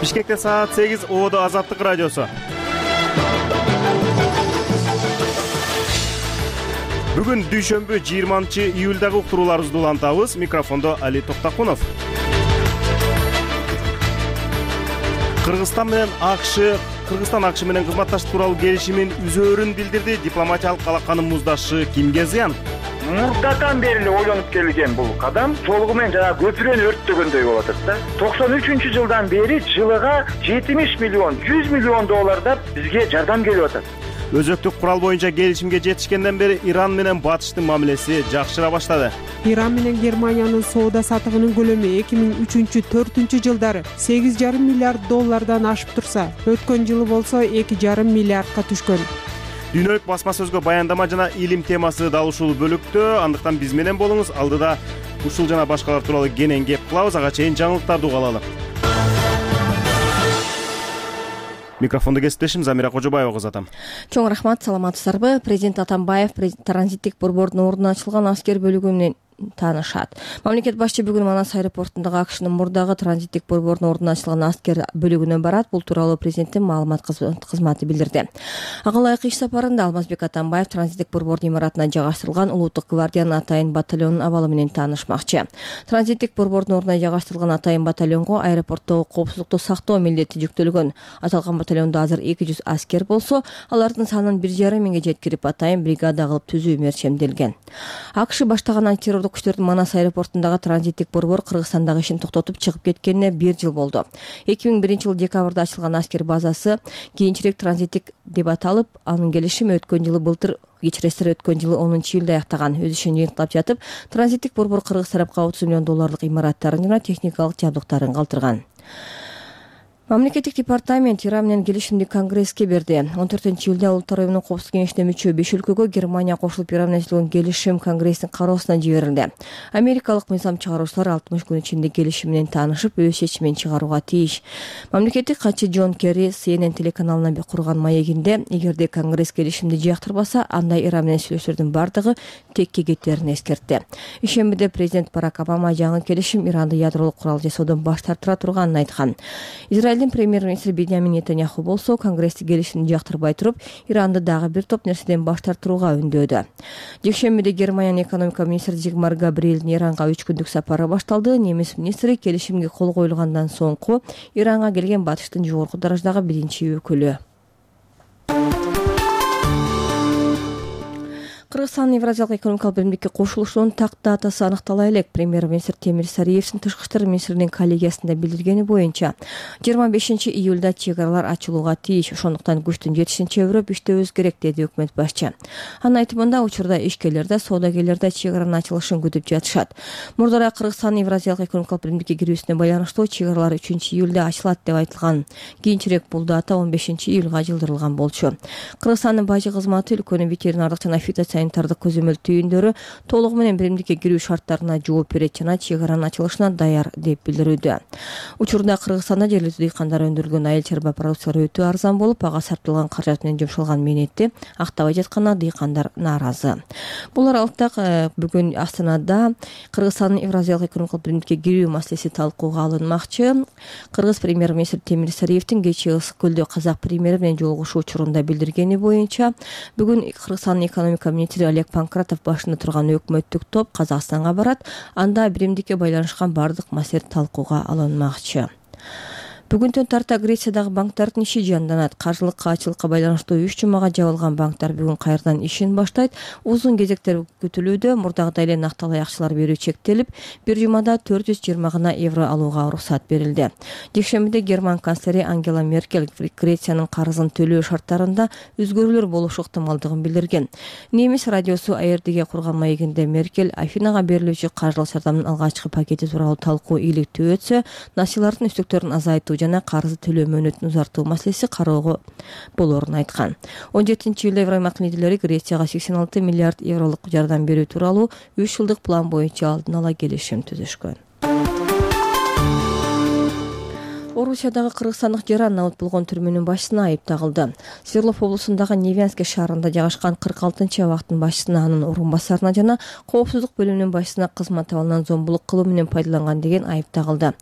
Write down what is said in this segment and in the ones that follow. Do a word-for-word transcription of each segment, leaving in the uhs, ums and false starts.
Бишкекте саат сегиз, Ободо Азаттык радиосу. Бүгүн дүйшөмбү жыйырманчы июлдагы уктурууларыбызды улантабыз. Микрофондо Али Токтакунов. Кыргызстан менен АКШ Кыргызстан АКШ менен кызматташтык тууралуу келишимин үзөөрүн билдирди. Дипломатиялык алаканын муздашшы кимге зыян? Мурдатан бери эле ойлонуп келген бул кадам толугу менен жана көпүрөнү өрттөгөндөй болуп атат да. токсон үчүнчү жылдан бери жылыга жетимиш миллион, жүз миллион доллардан бизге жардам келип атат. Өзөктүк курал боюнча келишимге жетишкенден бери Иран менен Батыштын мамилеси жакшыра баштады. Иран менен Германиянын соода сатыгынын көлөмү эки миң үчүнчү төртүнчү жылдары сегиз жарым миллиард доллардан ашып турса, өткөн жылы болсо эки жарым миллиардка түшкөн. Дүйнөлүк басма сөзгө баяндама жана илим темасы дал ушул бөлүктө. Андыктан биз менен болуңуз. Алдыда ушул жана башкалар тууралуу кенен кеп кылабыз. Ага чейин жаңылыктарды угалалы. Микрофонду кесиптешим Замира Кожобаева кызатам. Чоң рахмат, саламатсыздарбы? Президент Атамбаев транзиттик борбордун ордуна ачылган аскер бөлүгү менен таанышат. Мамлекет башчы бүгүн Манас аэропортундагы АКШнын мурдагы транзиттик борбордун ордуна ачылган аскер бөлүгүнө барат. Бул тууралуу президенттин маалымат кызматы билдирди. Ага ылайык иш сапарында Алмазбек Атамбаев транзиттик борбордун имаратына жайгаштырылган Улуттук гвардиянын Атайын батальонунун абалы менен таанышмакчы. Транзиттик борбордун ордуна жайгаштырылган Атайын батальонго аэропорттогу коопсуздукту сактоо милдети жүктөлгөн. Аталган батальондо азыр эки жүз аскер болсо, алардын санын бир жарым миңге жеткирип Атайын бригада кылып түзүү мерчемделген. АКШ баштаган антитеррорлук күчтөрдүн Манас аэропортундагы транзиттик борбор Кыргызстандагы ишин токтотуп чыгып кеткенине бир жыл болду. эки миң биринчи жылы декабрда ачылган аскер базасы кийинчерээк транзиттик деп аталып, анын келишими өткөн жылы былтыр кечиресиздер өткөн жылы онунчу июлда аяктаган. Өз ишин жыйынтыктап жатып, транзиттик борбор Кыргыз тарапка отуз миллион долларлык имараттарын жана техникалык жабдыктарын калтырган. Мамлекеттик департамент Иран менен келишимди Конгресске берди. он төртүнчү июлда Улуттар уюмунун коопсуздук кеңешине мүчө беш өлкөгө Германия кошулуп Иран менен түзүлгөн келишим Конгресстин кароосуна жиберилди. Америкалык мыйзам чыгаруучулар алтымыш күн ичинде келишим менен таанышып, өз чечимин чыгарууга тийиш. Мамлекеттик катчы Джон Керри Си Эн Эн телеканалына курган маегинде, эгерде Конгресс келишимди жактырбаса, анда Иран менен сүйлөшүүлөрдүн бардыгы текке кетерин эскертти. Ишембиде президент Барак Обама жаңы келишим Иранды ядролук курал жасоодон баш тартыра турганын айткан. Израилдин премьер-министри Беньямин Нетаньяху болсо, Конгрессти келишимди жактырбай туруп, Иранды дагы бир топ нерседен баш тартууга үндөөдү. Жекшембиде Германиянын экономика министри Зигмар Габриэлдин Иранга үч күндүк сапары башталды. Немис министри келишимге кол коюлгандан соңку Иранга келген Батыштын жогорку дараждагы биринчи өкүлү. Кыргызстан Евразиялык экономикалык биримдикке кошулушунун так датасы аныктала элек. Премьер-министр Темир Сариевдин тышкы иштер министринин коллегиясында билдиргени боюнча жыйырма бешинчи июлда чек аралар ачылууга тийиш. Ошондуктан күчтүн жетишинче өрөп иштөөбүз керек, деди өкмөт башчы. Анын айтымында, учурда ишкерлер да, соодагерлер да чек аранын ачылышын күтүп жатышат. Мурдара Кыргызстан Евразиялык экономикалык биримдикке кирүүсүнө байланыштуу чек аралар үчүнчү июлда ачылат деп айтылган. Кийинчерээк бул дата он бешинчи июлга жылдырылган болчу. Кыргызстандын бажы кызматы өлкөнүн ветеринардык жана фитосанитардык көзөмөл түйүндөрү толугу менен биримдикке кирүү шарттарына жооп берет жана чек аранын ачылышына даяр деп билдирүүдө. Учурда Кыргызстанда жергиликтүү дыйкандар өндүрүлгөн айыл чарба продукциялары өтө арзан болуп, ага сарпталган каражат менен жумшалган мээнетти актабай жатканына дыйкандар нааразы. Бул аралыкта бүгүн Астанада Кыргызстандын Евразиялык экономикалык биримдикке кирүү маселеси талкууга алынмакчы. Кыргыз премьер-министри Темир Сариевдин кечээ Ысык көлдө казак премьери менен жолугушуу учурунда билдиргени боюнча, бүгүн Кыргызстандын экономика министри Олег Панкратов башында турган өкмөттүк топ Казакстанга барат. Анда биримдикке байланышкан бардык маселе талкууга алынмакчы. Бүгүнтөн тарта Грециядагы банктардын иши жанданат. Каржылык каачылыкка байланыштуу үч жумага жабылган банктар бүгүн кайрадан ишин баштайт. Узун кезектер күтүлүүдө. Мурдагыдай эле накталай акчалар берүү чектелип, бир жумада төрт жүз жыйырма гана евро алууга уруксат берилди. Жекшембиде Герман канцлери Ангела Меркель Грециянын карызын төлөө шарттарында өзгөрүүлөр болушу ыктымалдыгын билдирген. Немис радиосу А Р Д'ге курган маегинде Меркель Афинага берилүүчү каржылык жардамдын алгачкы пакети тууралуу талкуу ийгиликтүү өтсө, насыйлардын үстөктөрүн азайтуу жана карызы төлөө мөөнөтүн узартуу маселеси кароого болоорун айткан. он жетинчи июлда Евроаймактын лидерлери Грецияга сексен алты миллиард евролук жардам берүү тууралуу үч жылдык план боюнча алдын ала келишим түзүшкөн. Орусиядагы кыргызстандык жаран набыт болгон түрмөнүн башчысына айып тагылды. Свердлов облусундагы Невянский шаарында жайгашкан кырк алтынчы абактын башчысына, анын орун басарына жана коопсуздук бөлүмүнүн башчысына кызмат абалынан зомбулук кылуу менен пайдаланган деген айып тагылды.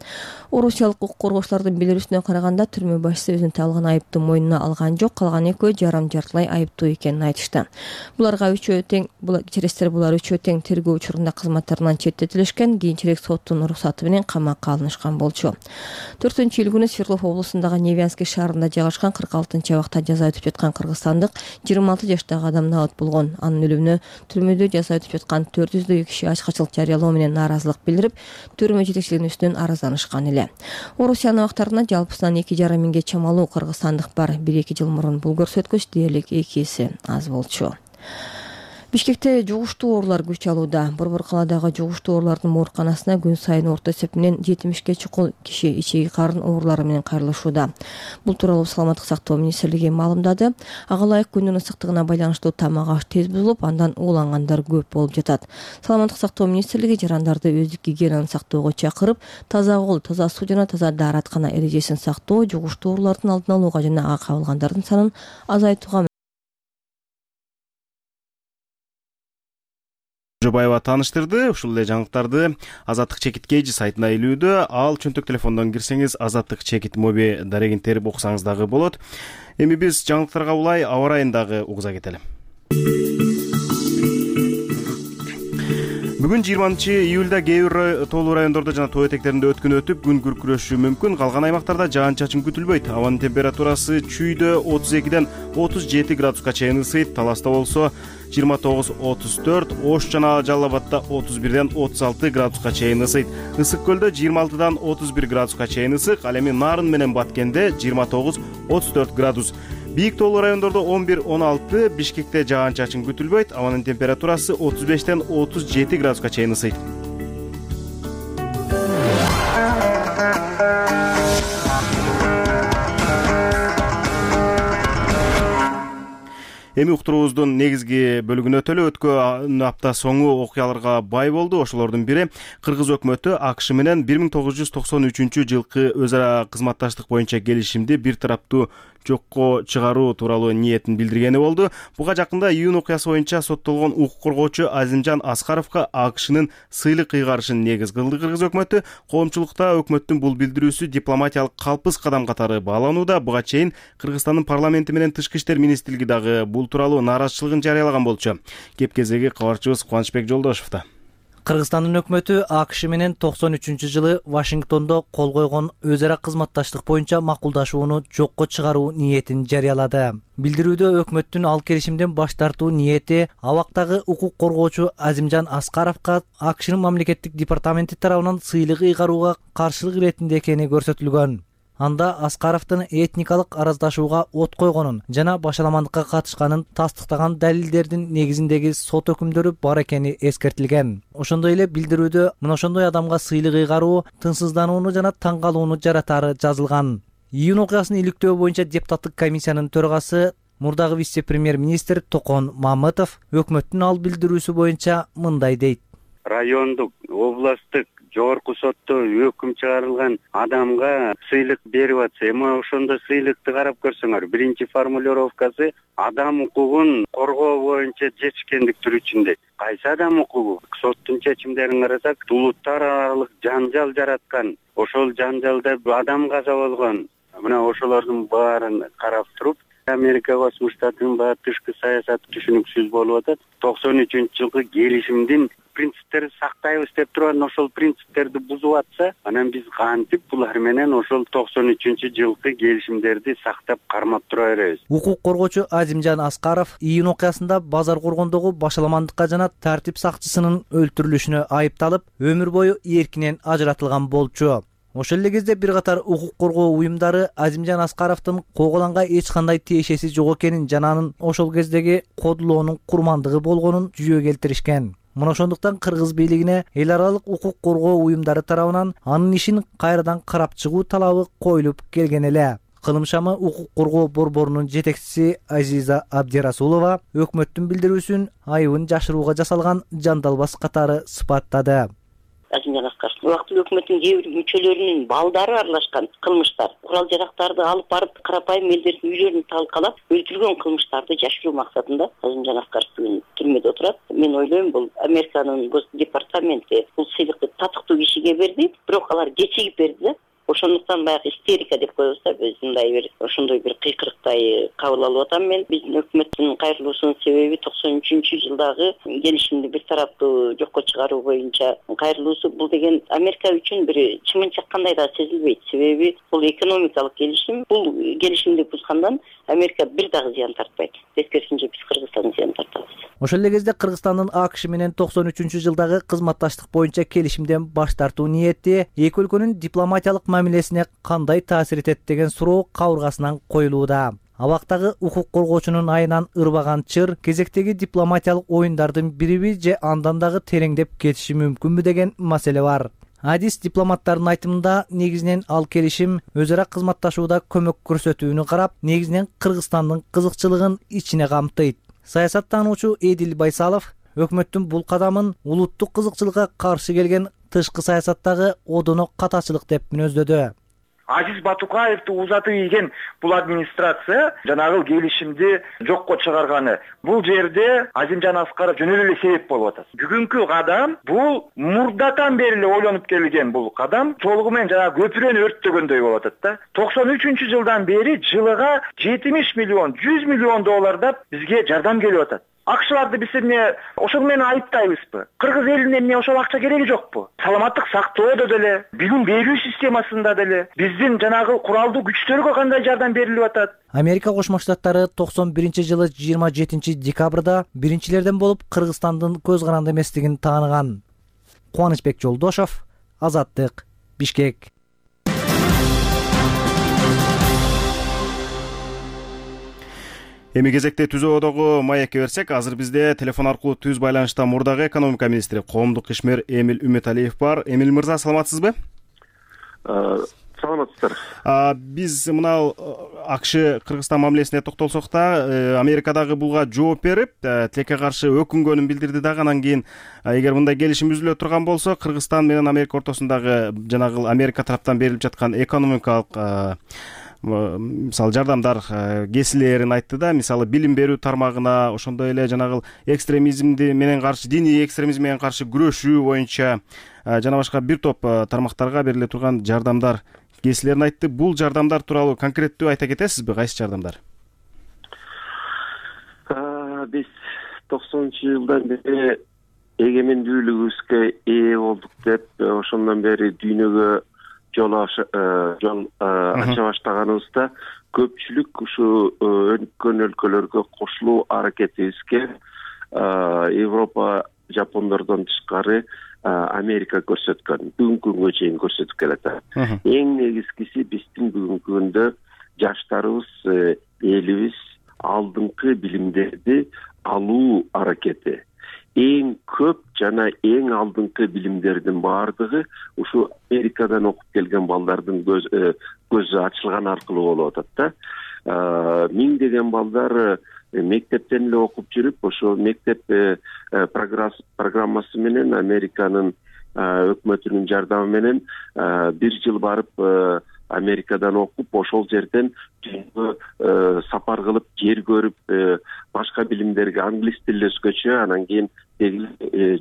Орусиялык укук коргоочулардын билдирүүсүнө караганда, түрмө башчысы өзүнүн тагылган айыпты мойнуна алган жок, калган экөө жарым жартылай айыптуу экенин айтышты. Буларга үчөө тең кечиресиздер булар үчөө тең тергөө учурунда кызматтарынан четтетилишкен, кийинчерээк соттун уруксаты менен камакка алынышкан болчу. төртүнчү июль күнү Свердлов облусундагы Невянский шаарында жайгашкан кырк алтынчы абакта жаза өтүп жаткан кыргызстандык жыйырма алты жаштагы адам набыт болгон. Анын өлүмүнө түрмөдө жаза өтүп жаткан төрт жүздөй киши ачкачылык жарыялоо менен нааразылык билдирип, түрмө жетекчилигинин үстүнөн арызданышкан эле. Орусиянын абактарында жалпысынан эки жарым миңге чамалуу кыргызстандык бар. бир эки жыл мурун бул көрсөткүч дээрлик эки эсе аз болчу. Бишкекте жугуштуу оорулар күч алууда. Борбор калаадагы жугуштуу оорулардын ооруканасына күн сайын орто эсепинен жетимишке чукул киши ичеги карын оорулары менен кайрылышууда. Бул тууралуу Саламаттык сактоо министрлиги маалымдады. Ага ылайык күндүн ысыктыгына байланыштуу тамак аш тез бузулуп, андан уулангандар көп болуп жатат. Саламаттык сактоо министрлиги жарандарды өздүк гигиенаны сактоого чакырып, таза кол, таза суу жана таза даараткана эрежесин сактоо, жугуштуу оорулардын алдын алууга жана ага кабылгандардын санын азайтууга Жобаева тааныштырды. Ушул эле жаңылыктарды Азаттык чекит кей жи сайтына илүүдө. Ал чөнтөк телефондон кирсеңиз Азаттык чекит моби дарегин терип окусаңыз дагы болот. Эми биз жаңылыктарга улай аба ырайын дагы угуза кетели. Бүгүн жыйырманчы июлда кээ бир тоолуу райондордо жана тоо этектеринде өткөн өтүп, күн күркүрөшү мүмкүн. Калган аймактарда жаан-чачын күтүлбөйт. Абанын температурасы Чүйдө отуз экиден отуз жети градуска чейин ысыйт. Таласта болсо жыйырма тогуз отуз төрт, Ош жана Жалал Абадта отуз бирден отуз алты градуска чейин ысыйт. Ысык көлдө жыйырма алтыдан отуз бир градуска чейин ысык. Ал эми Нарын менен Баткенде жыйырма тогуз отуз төрт градус. Бийик тоолуу райондордо он бир он алты, Бишкекте жаан-чачын күтүлбөйт. Абанын температурасы отуз бештен отуз жети градуска чейин ысыйт. Эми уктуруубуздун негизги бөлүгүнө өтөлү. Өткөн апта соңу окуяларга бай болду. Ошолордун бири Кыргыз өкмөтү АКШ менен бир миң тогуз жүз токсон үчүнчү жылкы өз ара кызматташтык боюнча келишимди бир тараптуу жокко чыгаруу тууралуу ниетин билдиргени болду. Буга жакында июнь окуясы боюнча соттолгон укук коргоочу Азимжан Аскаровго АКШнын сыйлык ыйгарышын негиз кылды Кыргыз өкмөтү. Коомчулукта өкмөттүн бул билдирүүсү дипломатиялык калпыс кадам катары бааланууда. Буга чейин Кыргызстандын парламенти менен Тышкы иштер министрлиги дагы бул тууралуу нааразычылыгын жарыялаган болчу. Кеп кезеги кабарчыбыз Кубанычбек Жолдошевда. Кыргызстандын өкмөтү АКШ менен токсон үчүнчү жылы Вашингтондо кол койгон өз ара кызматташтык боюнча макулдашууну жокко чыгаруу ниетин жарыялады. Билдирүүдө өкмөттүн ал келишимден баш тартуу ниети абактагы укук коргоочу Азимжан Аскаровго АКШнын мамлекеттик департаменти тарабынан сыйлык ыйгарууга каршылык иретинде экени көрсөтүлгөн. Анда Аскаровдун этникалык араздашууга от койгонун жана башаламандыкка катышканын тастыктаган далилдердин негизиндеги сот өкүмдөрү бар экени эскертилген. Ошондой эле билдирүүдө мына ошондой адамга сыйлык ыйгаруу тынчсызданууну жана таң калууну жаратары жазылган. Июнь окуясын иликтөө боюнча депутаттык комиссиянын төрагасы мурдагы вице-премьер-министр Токон Мамытов өкмөттүн ал билдирүүсү боюнча мындай дейт. Райондук, областтык жогорку сотто өкүм чыгарылган адамга сыйлык берип атса, эми ошондо сыйлыкты карап көрсөңөр. Биринчи формулировкасы адам укугун коргоо боюнча жетишкендик түрүчүндө. Кайсы адам укугу? Соттун чечимдерин карасак, улуттар аралык жанжал жараткан, ошол жанжалда адам каза болгон. Мына ошолордун баарын карап туруп, Америка Космо Штатынын баягы тышкы саясаты түшүнүксүз болуп атат. токсон үчүнчү жылкы келишимдин принциптерин сактайбыз деп турган ошол принциптерди бузуп атса, анан биз кантип булар менен ошол токсон үчүнчү жылкы келишимдерди сактап кармап тура беребиз. Укук коргоочу Азимжан Аскаров июнь окуясында Базар Коргондогу башаламандыкка жана тартип сакчысынын өлтүрүлүшүнө айыпталып, өмүр бою эркинен ажыратылган болчу. Ошол эле кезде бир катар укук коргоо уюмдары Азимжан Аскаровдун Коголанга эч кандай тиешеси жок экенин жана анын ошол кездеги кодулоонун курмандыгы болгонун жүйө келтиришкен. Мына ошондуктан кыргыз бийлигине эл аралык укук коргоо уюмдары тарабынан анын ишин кайрадан карап чыгуу талабы коюлуп келген эле. Кылым шамы укук коргоо борборунун жетекчиси Азиза Абдирасулова өкмөттүн билдирүүсүн айыбын жашырууга жасалган жандалбас катары сыпаттады. Азимжан Аскаровдун убактылуу өкмөттүн кээ бир мүчөлөрүнүн балдары аралашкан кылмыштар, курал жарактарды алып барып карапайым элдердин үйлөрүн талкалап өлтүргөн кылмыштарды жашыруу максатында Азимжан Аскаров бүгүн түрмөдө отурат. Мен ойлойм, бул Американын Гос департаменти бул сыйлыкты татыктуу кишиге берди, бирок алар кечигип берди да. Ошондуктан баягы истерика деп коебуз да, биз мындай бир ошондой бир кыйкырыктай кабыл алып атам мен. Биздин өкмөттүн кайрылуусунун себеби токсон үчүнчү жылдагы келишимди бир тараптуу жокко чыгаруу боюнча кайрылуусу. Бул деген Америка үчүн бир чымын чаккандай да сезилбейт. Себеби бул экономикалык келишим. Бул келишимди бузгандан Америка бир дагы зыян тартпайт. Тескерисинче биз Кыргызстан зыян тартабыз. Ошол эле кезде Кыргызстандын АКШ менен токсон үчүнчү жылдагы кызматташтык боюнча келишимден баш тартуу ниети эки өлкөнүн дипломатиялык мамилесине кандай таасир этет деген суроо кабыргасынан коюлууда. Абактагы укук коргоочунун айынан ырбаган чыр кезектеги дипломатиялык оюндардын бириби же андан дагы тереңдеп кетиши мүмкүнбү деген маселе бар. Адис дипломаттардын айтымында негизинен ал келишим өз ара кызматташууда көмөк көрсөтүүнү карап, негизинен Кыргызстандын кызыкчылыгын ичине камтыйт. Саясаттануучу Эдил Байсалов өкмөттүн бул кадамын улуттук кызыкчылыкка каршы келген тышкы саясаттагы одоно катачылык деп мүнөздөдү. Азиз Батукаевди узатып ийген бул администрация жанагы келишимди жокко чыгарганы. Бул жерде Азимжан Аскаров жөн эле себеп болуп атат. Бүгүнкү кадам бул мурдатан бери эле ойлонуп келген бул кадам толугу менен жанагы көпүрөнү өрттөгөндөй болуп атат да. токсон үчүнчү жылдан бери жылыга жетимиш миллион, жүз миллион доллардап бизге жардам келип атат. Акчаларды биз эмне ошол менен айыптайбызбы? Кыргыз элине эмне ошол акча кереги жокпу? Саламаттык сактоодо деле, билим берүү системасында деле, биздин жанагы куралдуу күчтөргө кандай жардам берилип атат? Америка Кошмо Штаттары токсон биринчи жылы жыйырма жетинчи декабрда биринчилерден болуп Кыргызстандын көз каранды эместигин тааныган. Кубанычбек Жолдошов, Азаттык, Бишкек. Эми кезекте түзөөдөгү маекке берсек, азыр бизде телефон аркылуу түз байланышта мурдагы экономика министри, коомдук ишмер Эмил Үмөталиев бар. Эмил мырза, саламатсызбы? Саламатсыздар. Биз мына АКШ Кыргызстан мамилесине токтолсок да, Америкадагы булга жооп берип, тилекке каршы өкүнгөнүн билдирди дагы. Анан кийин, эгер мындай келишим үзүлө турган болсо, Кыргызстан менен Америка ортосундагы жанагы Америка тараптан берилип жаткан экономикалык мисалы жардамдар кесилерин айтты да. Мисалы билим берүү тармагына, ошондой эле жанагы экстремизмди менен каршы, диний экстремизм менен каршы күрөшүү боюнча жана башка бир топ тармактарга бериле турган жардамдар кесилерин айтты. Бул жардамдар тууралуу конкреттүү айта кетесизби? Кайсы жардамдар? Биз токсонунчу жылдан бери эгемендүүлүгүбүзгө ээ болдук деп, ошондон бери дүйнөгө жол жол ача баштаганыбызда көпчүлүк ушу өнүккөн өлкөлөргө кошулуу аракетибизге Европа, Жапондордон тышкары Америка көрсөткөн, бүгүнкү күнгө чейин көрсөтүп келатат. Эң негизгиси биздин бүгүнкү күндө жаштарыбыз, элибиз алдыңкы билимдерди алуу аракети. Эң көп жана эң алдыңкы билимдердин баардыгы ушу Америкадан окуп келген балдардын көзү ачылган аркылуу болуп атат да. Миңдеген балдар мектептен эле окуп жүрүп, ошо мектеп программасы менен, Американын өкмөтүнүн жардамы менен бир жыл барып Америкадан окуп, ошол жерден дүйнөгө сапар кылып, жер көрүп, башка билимдерге, англис тили өзгөчө, анан кийин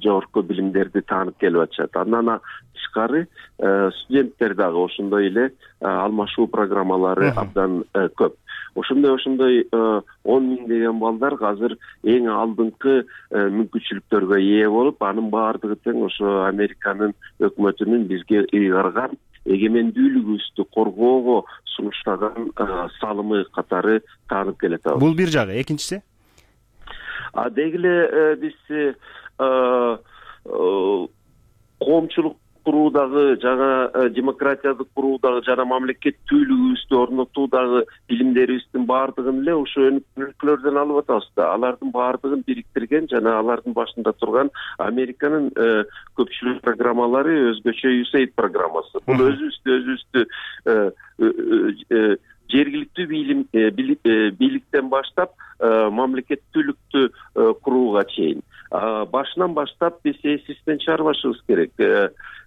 жогорку билимдерди таанып келип атышат. Андан тышкары студенттер дагы ошондой эле алмашуу программалары абдан көп. Ошондой ошондой он миңдеген балдар азыр эң алдыңкы мүмкүнчүлүктөргө ээ болуп, анын баардыгы тең ошо Американын өкмөтүнүн бизге ыйгарган эгемендүүлүгүбүздү коргоого сунуштаган салымы катары таанып келет. Бул бир жагы. Экинчиси? А деги эле биз коомчулук куруудагы жана демократияды куруудагы жана мамлекеттүүлүгүбүздү орнотуудагы билимдерибиздин баардыгын эле ошо өнүккөн өлкөлөрдөн алып атабыз да. Алардын баардыгын бириктирген жана алардын башында турган Американын көпчүлүк программалары, өзгөчө ю эйд программасы. Бул өзүбүздү өзүбүздү жергиликтүү бийликтен баштап мамлекеттүүлүктү курууга чейин башынан баштап биз эсибизден чыгарбашыбыз керек.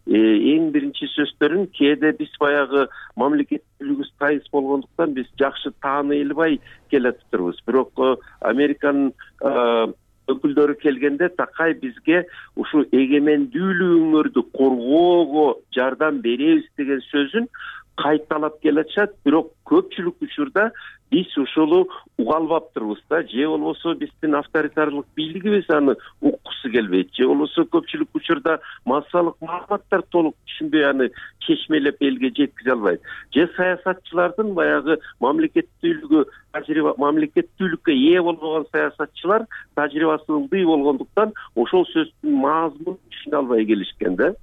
Эң биринчи сөздөрүн кээде биз баягы мамлекеттүүлүгүбүз тайыз болгондуктан биз жакшы тааный албай келатырбыз. Бирок Американын өкүлдөрү келгенде такай бизге ушул эгемендүүлүгүңөрдү коргоого жардам беребиз деген сөзүн кайталап келатышат. Бирок көпчүлүк учурда биз ушуну уга албаптырбыз да, же болбосо биздин авторитарлык бийлигибиз аны уккусу келбейт, же болбосо көпчүлүк учурда массалык маалыматтар толук түшүнбөй аны чечмелеп элге жеткизе албайт, же саясатчылардын баягы мамлекеттүүлүгү тажрыйба мамлекеттүүлүккө ээ болбогон саясатчылар тажрыйбасы ылдый болгондуктан ошол сөздүн маазмунун түшүнө албай келишкен да.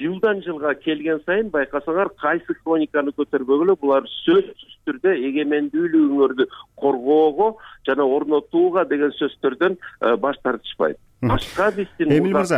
Жылдан жылга келген сайын байкасаңар кайсы хрониканы көтөрбөгүлө булар сөзсүз түрдө эгемендүүлүгүңөрдү коргоого жана орнотууга деген сөздөрдөн баш тартышпайт. Башка биздин Эмил мырза,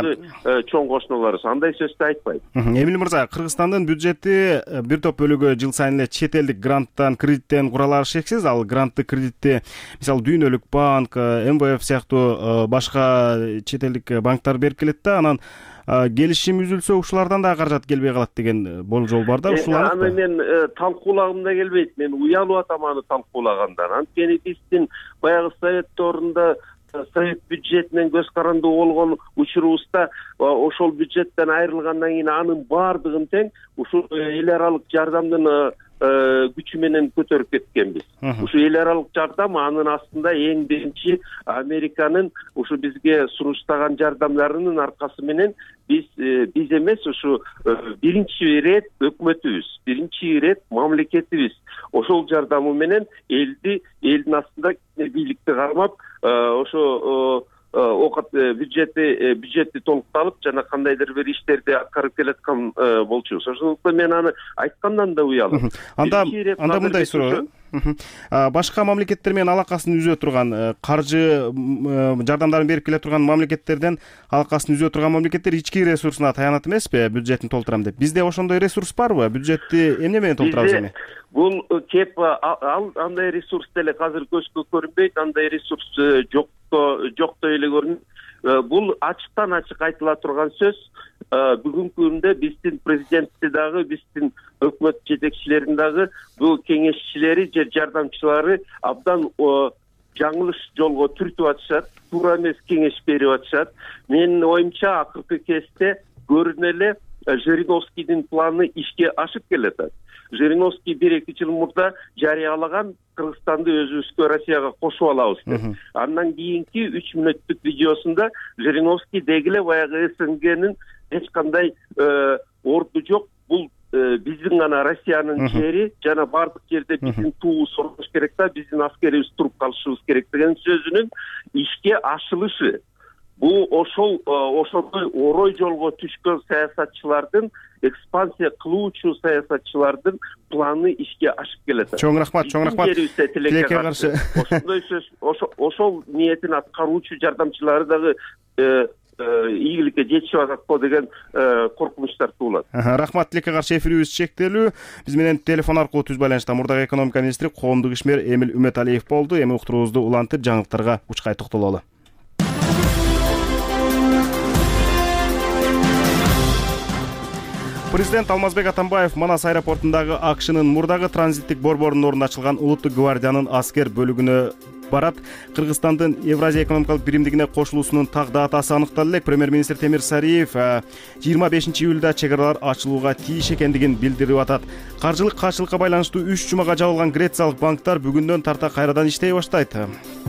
чоң кошуналарыбыз андай сөздү айтпайт. Эмил мырза, Кыргызстандын бюджети бир топ бөлүгү жыл сайын эле чет элдик гранттан, кредиттен куралары шексиз. Ал грантты, кредитти мисалы Дүйнөлүк банк, эм вэ эф сыяктуу башка чет элдик банктар берип келет да, анан келишим үзүлсө ушулардан да каражат келбей калат деген болжол бар да. Ушул аны мен талкуулагым да келбейт. Мен уялып атам аны талкуулагандан. Анткени биздин баягы совет доорунда совет бюджетинен көз карандуу болгон учурубузда ошол бюджеттен айрылгандан кийин анын баардыгын тең ушул эл аралык жардамдын күчү менен көтөрүп кеткенбиз. Ушу эл аралык жардам анын астында эң биринчи Американын ушу бизге сунуштаган жардамдарынын аркасы менен биз биз эмес, ушу биринчи ирет өкмөтүбүз, биринчи ирет мамлекетибиз ошол жардамы менен элди элдин астында бийликти кармап ошо окат бюджети бюджетти толукталып жана кандайдыр бир иштерди аткарып келаткан болчубуз. Ошондуктан мен аны айткандан да уялым. Анда анда мындай суроо. Башка мамлекеттер менен алакасын үзө турган, каржы жардамдарын берип келе турган мамлекеттерден алакасын үзө турган мамлекеттер ички ресурсуна таянат эмеспи, бюджетин толтурам деп. Бизде ошондой ресурс барбы? Бюджетти эмне менен толтурабыз эми? Бул кеп ал андай ресурс деле азыр көзгө көрүнбөйт, андай ресурс жокто жоктой эле көрүнөт. Бул ачыктан ачык айтыла турган сөз. Бүгүнкү күндө биздин президенти дагы, биздин өкмөт жетекчилерин дагы, бул кеңешчилери же жардамчылары абдан жаңылыш жолго түртүп атышат, туура эмес кеңеш берип атышат. Менин оюмча акыркы кезде көрүнө эле Жириновскийдин планы ишке ашып келатат. Жириновский бир эки жыл мурда жарыялаган Кыргызстанды өзүбүзгө Россияга кошуп алабыз деп. Андан кийинки үч мүнөттүк видеосунда Жириновский дегиле баягы СНГнин эч кандай орду жок, бул биздин гана Россиянын жери жана бардык жерде биздин туубуз орнош керек да, биздин аскерибиз туруп калышыбыз керек деген сөзүнүн ишке ашылышы. Бул ошол ошондой орой жолго түшкөн саясатчылардын, экспансия кылуучу саясатчылардын планы ишке ашып келет. Чоң рахмат, чоң рахмат. Тилекке каршы ошондой сөз, ошол ниетин аткаруучу жардамчылары дагы ийгиликке жетишип атат деген коркунучтар туулат. Рахмат, тилекке каршы эфирибиз чектелүү. Биз менен телефон аркылуу түз байланышта мурдагы экономика министри, коомдук ишмер Эмил Үмөталиев болду. Эми уктуруубузду улантып, жаңылыктарга учкай токтололу. Президент Алмазбек Атамбаев Манас аэропортундагы АКШнын мурдагы транзиттик борборунун ордуна ачылган Улуттук гвардиянын аскер бөлүгүнө барат. Кыргызстандын Евразия экономикалык биримдигине кошулуусунун так датасы аныкталды элек. Премьер-министр Темир Сариев жыйырма бешинчи июлда чек аралар ачылууга тийиш экендигин билдирип атат. Каржылык каршылыкка байланыштуу үч жумага жабылган Грециялык банктар бүгүндөн тарта кайрадан иштей баштайт.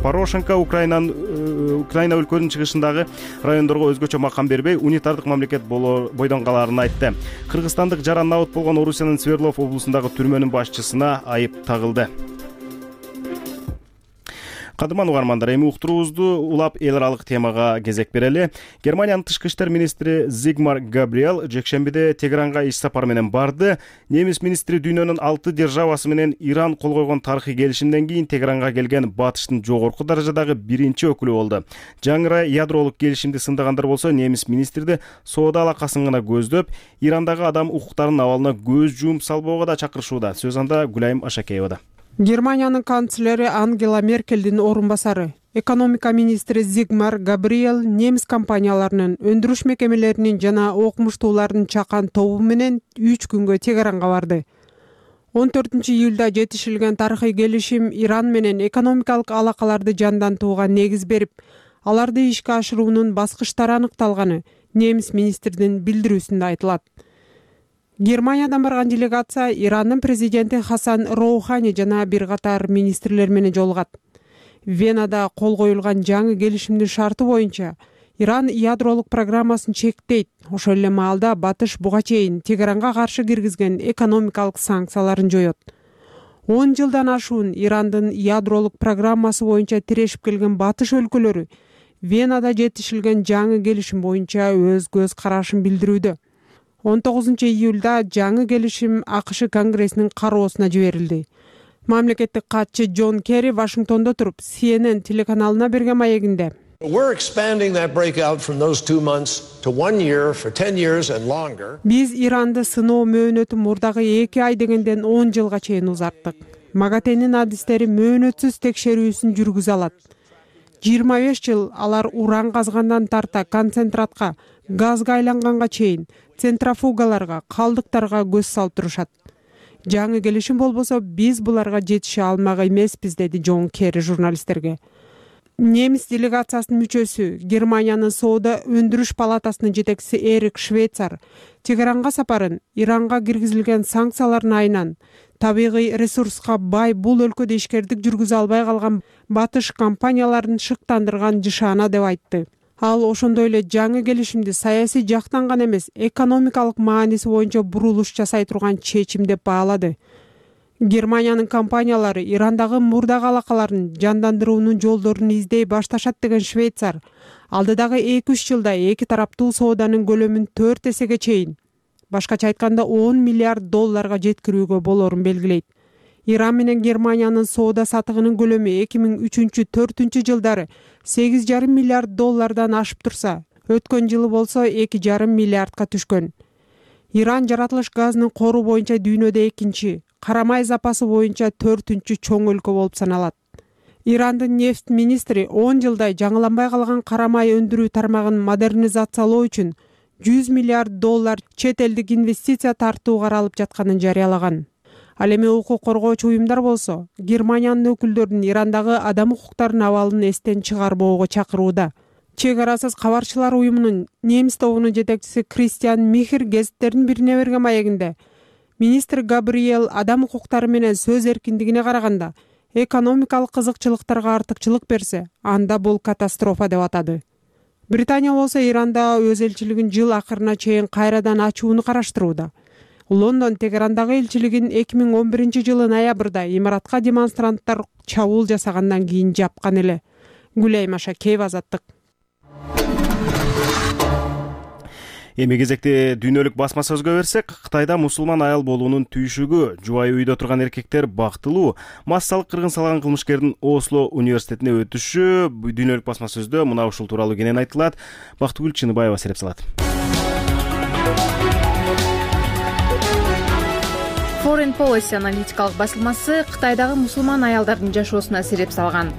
Порошенко Украинанын Украина өлкөнүн чыгышындагы райондорго өзгөчө макам бербей, унитардык мамлекет бойдон калаарын айтты. Кыргызстандык жаран набыт болгон Орусиянын Свердлов облусундагы түрмөнүн башчысына айып тагылды. Кадырман угармандар, эми уктуруубузду улап эл аралык темага кезек берели. Германиянын тышкы иштер министри Зигмар Габриэл жекшембиде Тегеранга иш сапар менен барды. Немис министри дүйнөнүн алты державасы менен Иран кол койгон тарыхый келишимден кийин Тегеранга келген батыштын жогорку даражадагы биринчи өкүлү болду. Жаңыра ядролук келишимди сындагандар болсо, немис министрди соода алакасын гана көздөп, Ирандагы адам укуктарынын абалына көз жууп салбоого да чакырышууда. Сөз анда Гүлайым Ашакеевада. Германиянын канцлери Ангела Меркелдин орун басары, экономика министри Зигмар Габриэл немис компанияларынын, өндүрүш мекемелеринин жана окумуштуулардын чакан тобу менен үч күнгө Тегеранга барды. он төртүнчү июлда жетишилген тарыхый келишим Иран менен экономикалык алакаларды жандантууга негиз берип, аларды ишке ашыруунун баскычтары аныкталганы немис министрдин билдирүүсүндө айтылат. Германиядан барган делегация Ирандын президенти Хасан Роухани жана бир катар министрлер менен жолугат. Венада кол коюлган жаңы келишимдин шарты боюнча Иран ядролук программасын чектейт. Ошол эле маалда Батыш буга чейин Тегеранга каршы киргизген экономикалык санкцияларын жоёт. он жылдан ашуун Ирандын ядролук программасы боюнча тирешип келген Батыш өлкөлөрү Венада жетишилген жаңы келишим боюнча өз көз карашын билдирүүдө. он тогузунчу июлда жаңы келишим АКШ Конгрессинин кароосуна жиберилди. Мамлекеттик катчы Джон Керри Вашингтондо туруп Си Эн Эн телеканалына берген маегинде биз Иранды сыноо мөөнөтү мурдагы эки ай дегенден он жылга чейин узарттык. МАГАТЭнин адистери мөөнөтсүз текшерүүсүн жүргүзө алат. жыйырма беш жыл алар уран казгандан тарта концентратка, газга айланганга чейин центрофугаларга, калдыктарга көз салып турушат. Жаңы келишим болбосо биз буларга жетише алмак эмеспиз, деди Джон Керри журналисттерге. Немис делегациясынын мүчөсү, Германиянын соода өндүрүш палатасынын жетекчиси Эрик Швейцар Тегеранга сапарын Иранга киргизилген санкциялардын айынан табигый ресурска бай бул өлкөдө ишкердик жүргүзө албай калган батыш компанияларын шыктандырган жышаана деп айтты. Ал ошондой эле жаңы келишимди саясий жактан гана эмес, экономикалык мааниси боюнча бурулуш жасай турган чечим деп баалады. Германиянын компаниялары Ирандагы мурдагы алакаларын жандандыруунун жолдорун издей башташат деген Швейцар алдыдагы эки үч жылда эки тараптуу сооданын көлөмүн төрт эсеге чейин, башкача айтканда он миллиард долларга жеткирүүгө болорун белгилейт. Иран менен Германиянын соода сатыгынын көлөмү эки миң үчүнчү төртүнчү жылдары сегиз жарым миллиард доллардан ашып турса, өткөн жылы болсо эки жарым миллиардка түшкөн. Иран жаратылыш газынын кору боюнча дүйнөдө экинчи, карамай запасы боюнча төртүнчү чоң өлкө болуп саналат. Ирандын нефть министри он жылдай жаңыланбай калган карамай өндүрүү тармагын модернизациялоо үчүн жүз миллиард доллар чет элдик инвестиция тартуу каралып жатканын жарыялаган. Ал эми укук коргоочу уюмдар болсо, Германиянын өкүлдөрүн Ирандагы адам укуктарынын абалын эстен чыгарбоого чакырууда. Чек арасыз кабарчылар уюмунун немис тобунун жетекчиси Кристиан Михер гезиттердин бирине берген маегинде министр Габриэл адам укуктары менен сөз эркиндигине караганда экономикалык кызыкчылыктарга артыкчылык берсе, анда бул катастрофа деп атады. Британия болсо Иранда өз элчилигин жыл акырына чейин кайрадан ачууну караштырууда. Лондон Тегерандагы элчилигин эки миң он биринчи жылы ноябрда имаратка демонстранттар чабуул жасагандан кийин жапкан эле. Гүлайым Ашакеева, Азаттык. Эми кезекте дүйнөлүк басма сөзгө берсек, Кытайда мусулман аял болуунун түйшүгү, жубайы үйдө турган эркектер бактылуу, массалык кыргын салган кылмышкердин Осло университетине өтүшү дүйнөлүк басма сөздө мына ушул тууралуу кенен айтылат. Бактыгүл Чыныбаева сереп салат. Foreign Policy аналитикалык басылмасы Кытайдагы мусулман аялдардын жашоосуна сереп салган.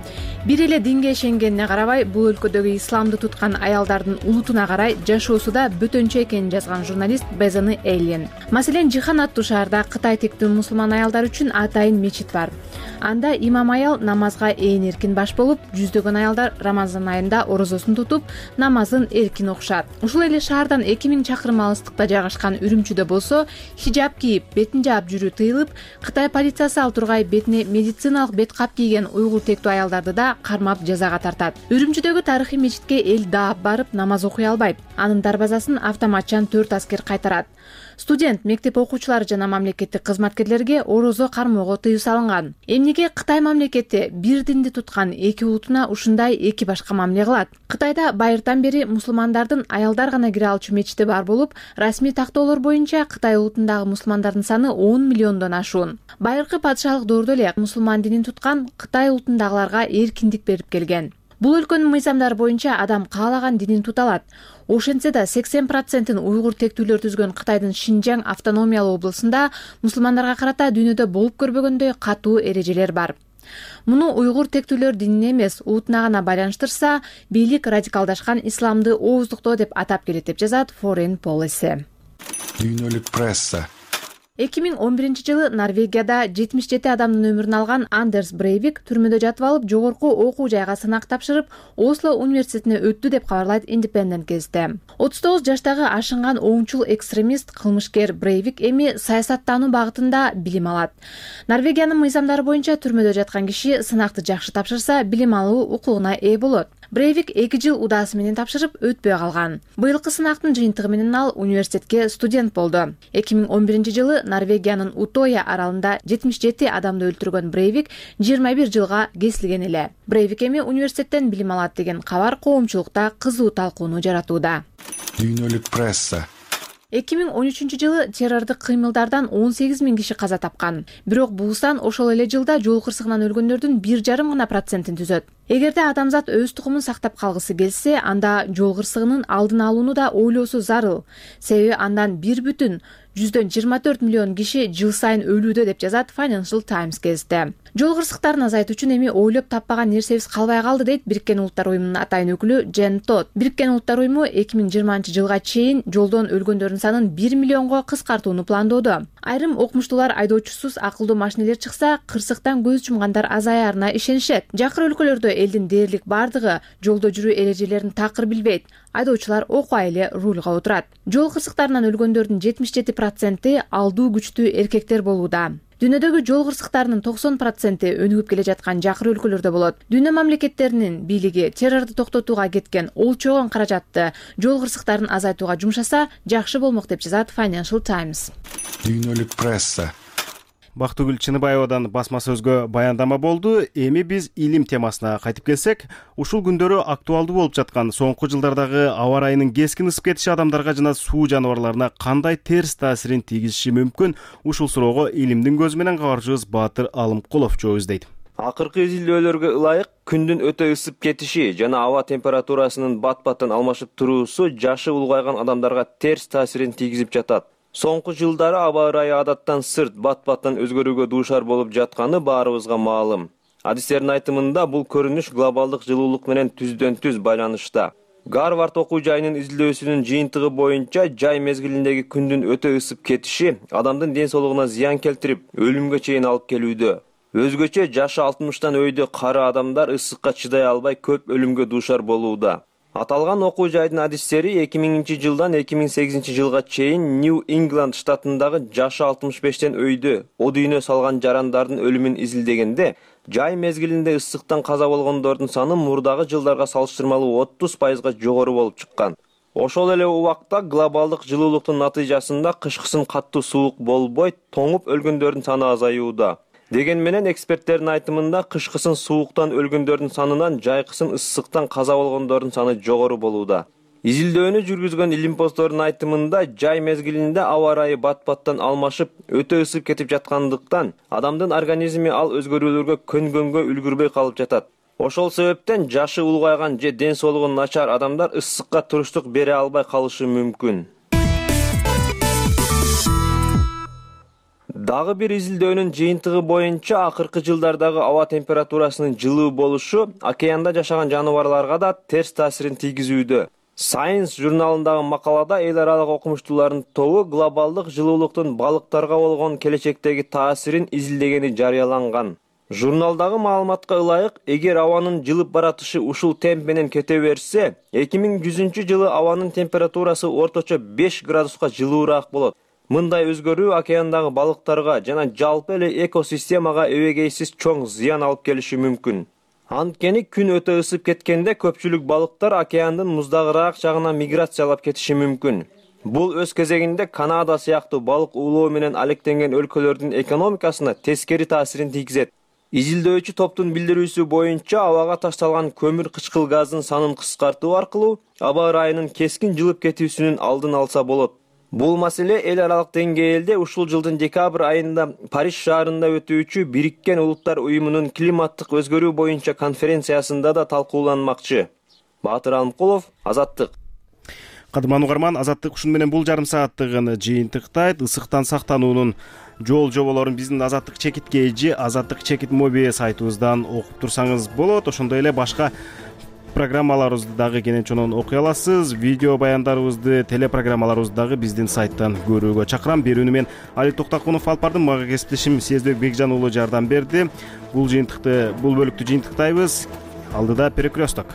Бир эле динге ишенгенине карабай, бул өлкөдөгү исламды туткан аялдардын улутуна карай жашоосу да бөтөнчө экенин жазган журналист Безаны Эллен. Маселен, Жихан аттуу шаарда Кытай тиктүү мусулман аялдар үчүн атайын мечит бар. Анда имам аял намазга ээн эркин баш болуп, жүздөгөн аялдар Рамазан айында орозосун тутуп, намазын эркин окушат. Ушул эле шаардан эки миң чакырым алыстыкта жайгашкан Үрүмчүдө болсо, хижаб кийип, бетин жаап жүрүү тыйылып, Кытай полициясы ал тургай бетине медициналык бет кап кийген уйгур тектүү аялдарды да кармап жазага тартат. Үрүмчүдөгү тарыхый мечитке эл даап барып намаз окуй албайт. Анын дарбазасын автоматчан төрт аскер кайтарат. Студент, мектеп окуучулары жана мамлекеттик кызматкерлерге орозо кармоого тыюу салынган. Эмнеге Кытай мамлекети бир динди туткан эки улутуна ушундай эки башка мамиле кылат? Кытайда байыртан бери мусулмандардын аялдар гана кире алчу мечити бар болуп, расмий тактоолор боюнча Кытай улутундагы мусулмандардын саны он миллиондон ашуун. Байыркы падышалык доордо эле мусулман динин туткан Кытай улутундагыларга эркиндик берип келген. Бул өлкөнүн мыйзамдары боюнча адам каалаган динин тута алат. Ошентсе да сексен процентин уйгур тектүүлөр түзгөн Кытайдын Шинжаң автономиялуу облусунда мусулмандарга карата дүйнөдө болуп көрбөгөндөй катуу эрежелер бар. Муну уйгур тектүүлөр динин эмес, улутуна гана байланыштырса, бийлик радикалдашкан исламды ооздуктоо деп атап келет деп жазат Foreign Policy. Дүйнөлүк пресса. эки миң он биринчи жылы Норвегияда жетимиш жети адамдын өмүрүн алган Андерс Брейвик түрмөдө жатып алып, жогорку окуу жайга сынак тапшырып, Осло университетине өттү деп кабарлайт Independent газети. отуз тогуз жаштагы ашынган оңчул экстремист кылмышкер Брейвик эми саясаттануу багытында билим алат. Норвегиянын мыйзамдары боюнча түрмөдө жаткан киши сынакты жакшы тапшырса, билим алуу укугуна ээ болот. Брейвик эки жыл удаасы менен тапшырып, өтпөй калган. Быйылкы сынактын жыйынтыгы менен ал университетке студент болду. эки миң он биринчи жылы Норвегиянын Утоя аралында жетимиш жети адамды өлтүргөн Брейвик жыйырма бир жылга кесилген эле. Брейвик эми университеттен билим алат деген кабар коомчулукта кызуу талкууну жаратууда. Дүйнөлүк пресса. эки миң он үчүнчү жылы террордук кыймылдардан он сегиз миң киши каза тапкан. Бирок бул сан ошол эле жылда жол кырсыгынан өлгөндөрдүн бир жарым гана процентин түзөт. Эгерде адамзат өз тукумун сактап калгысы келсе, анда жол кырсыгынын алдын алууну да ойлоосу зарыл. Себеби андан бир бүтүн жүздөн жыйырма төрт миллион киши жыл сайын өлүүдө деп жазат Financial Times газети. Жол кырсыктарын азайтуу үчүн эми ойлоп таппаган нерсебиз калбай калды дейт Бириккен Улуттар уюмунун атайын өкүлү Джен Тод. Бириккен Улуттар уюму эки миң жыйырманчы жылга чейин жолдон өлгөндөрдүн санын бир миллионго кыскартууну пландоодо. Айрым окумуштуулар айдоочусуз акылдуу машинелер чыкса, кырсыктан көз жумгандар азаярына ишенишет. Жакыр өлкөлөрдө элдин дээрлик бардыгы жолдо жүрүү эрежелерин такыр билбейт. Айдоочулар окуа эле рульга отурат. Жол кырсыктарынан өлгөндөрдүн жетимиш жети проценти алдуу күчтүү эркектер болууда. Дүйнөдөгү жол кырсыктарынын токсон проценти өнүгүп келе жаткан жакыр өлкөлөрдө болот. Дүйнө мамлекеттеринин бийлиги террорду токтотууга кеткен олчогон каражатты жол кырсыктарын азайтууга жумшаса, жакшы болмок деп жазат Financial Times. Дүйнөлүк пресса. Бактыгүл Чыныбаевадан басма сөзгө баяндама болду. Эми биз илим темасына кайтып келсек, ушул күндөрү актуалдуу болуп жаткан соңку жылдардагы аба ырайынын кескин ысып кетиши адамдарга жана суу жаныбарларына кандай терс таасирин тийгизиши мүмкүн? Ушул суроого илимдин көзү менен кабарчыбыз Баатыр Алымкулов жооп издейт. Акыркы изилдөөлөргө ылайык, күндүн өтө ысып кетиши жана аба температурасынын бат-баттан алмашып туруусу жашы улгайган адамдарга терс таасирин тийгизип жатат. Соңку жылдары аба ырайы адаттан сырт, бат-баттан өзгөрүүгө дуушар болуп жатканы баарыбызга маалым. Адистердин айтымында бул көрүнүш глобалдык жылуулук менен түздөн-түз байланышта. Гарвард окуу жайынын изилдөөсүнүн жыйынтыгы боюнча жай мезгилиндеги күндүн өтө ысып кетиши адамдын ден соолугуна зыян келтирип, өлүмгө чейин алып келүүдө. Өзгөчө жашы алтымыштан өйдө кары адамдар ысыкка чыдай албай көп өлүмгө дуушар болууда. Аталган окуу жайдын адистери эки миңинчи жылдан эки миң сегизинчи жылга чейин Нью Ингланд штатындагы жашы алтымыш бештен өйдө од үйнө салган жарандардын өлүмүн изилдегенде, жай мезгилинде ысыктан каза болгондордун саны мурдагы жылдарга салыштырмалуу отуз пайызга жогору болуп чыккан. Ошол эле убакта глобалдык жылуулуктун натыйжасында кышкысын каттуу суук болбой, тоңуп өлгөндөрдүн саны азаюуда. Деген менен эксперттердин айтымында кышкысын сууктан өлгөндөрдүн санынан жайкысын ысыктан каза болгондордун саны жогору болууда. Изилдөөнү жүргүзгөн илимпоздордун айтымында жай мезгилинде аба ырайы бат-баттан алмашып, өтө ысып кетип жаткандыктан адамдын организми ал өзгөрүүлөргө көнгөнгө үлгүрбөй калып жатат. Ошол себептен жашы улгайган же ден соолугу начар адамдар ысыкка туруштук бере албай калышы мүмкүн. Дагы бир изилдөөнүн жыйынтыгы боюнча акыркы жылдардагы аба температурасынын жылуу болушу океанда жашаган жаныбарларга да терс таасирин тийгизүүдө. Science журналындагы макалада эл аралык окумуштуулардын тобу глобалдык жылуулуктун балыктарга болгон келечектеги таасирин изилдегени жарыяланган. Журналдагы маалыматка ылайык, эгер абанын жылып баратышы ушул темп менен кете берсе, эки миң жүзүнчү жылы абанын температурасы орточо беш градуска жылуураак болот. Мындай өзгөрүү океандагы балыктарга жана жалпы эле экосистемага эбегейсиз чоң зыян алып келиши мүмкүн. Анткени күн өтө ысып кеткенде көпчүлүк балыктар океандын муздагыраак жагына миграциялап кетиши мүмкүн. Бул өз кезегинде Канада сыяктуу балык уулоо менен алектенген өлкөлөрдүн экономикасына тескери таасирин тийгизет. Изилдөөчү топтун билдирүүсү боюнча абага ташталган көмүр кычкыл газдын санын кыскартуу аркылуу аба ырайынын кескин жылып кетүүсүнүн алдын алса болот. Бул маселе эл аралык деңгээлде ушул жылдын декабрь айында Париж шаарында өтүүчү Бириккен Улуттар уюмунун климаттык өзгөрүү боюнча конференциясында да талкууланмакчы. Баатыр Алымкулов, Азаттык. Кадырман угарман, Азаттык ушуну менен бул жарым сааттыгын жыйынтыктайт. Ысыктан сактануунун жол жоболорун биздин Азаттык чекитке эжи Азаттык чекит моби сайтыбыздан окуп турсаңыз болот. Ошондой эле башка программаларыбызды дагы кенен чонон окуй аласыз. Видео баяндарыбызды, телепрограммаларыбызды дагы биздин сайттан көрүүгө чакырам. Берүүнү мен Али Токтакунов алып бардым. Мага кесиптешим Сезбек Бекжан уулу жардам берди. Бул жыйынтыкты, бул бөлүктү жыйынтыктайбыз. Алдыда перекресток.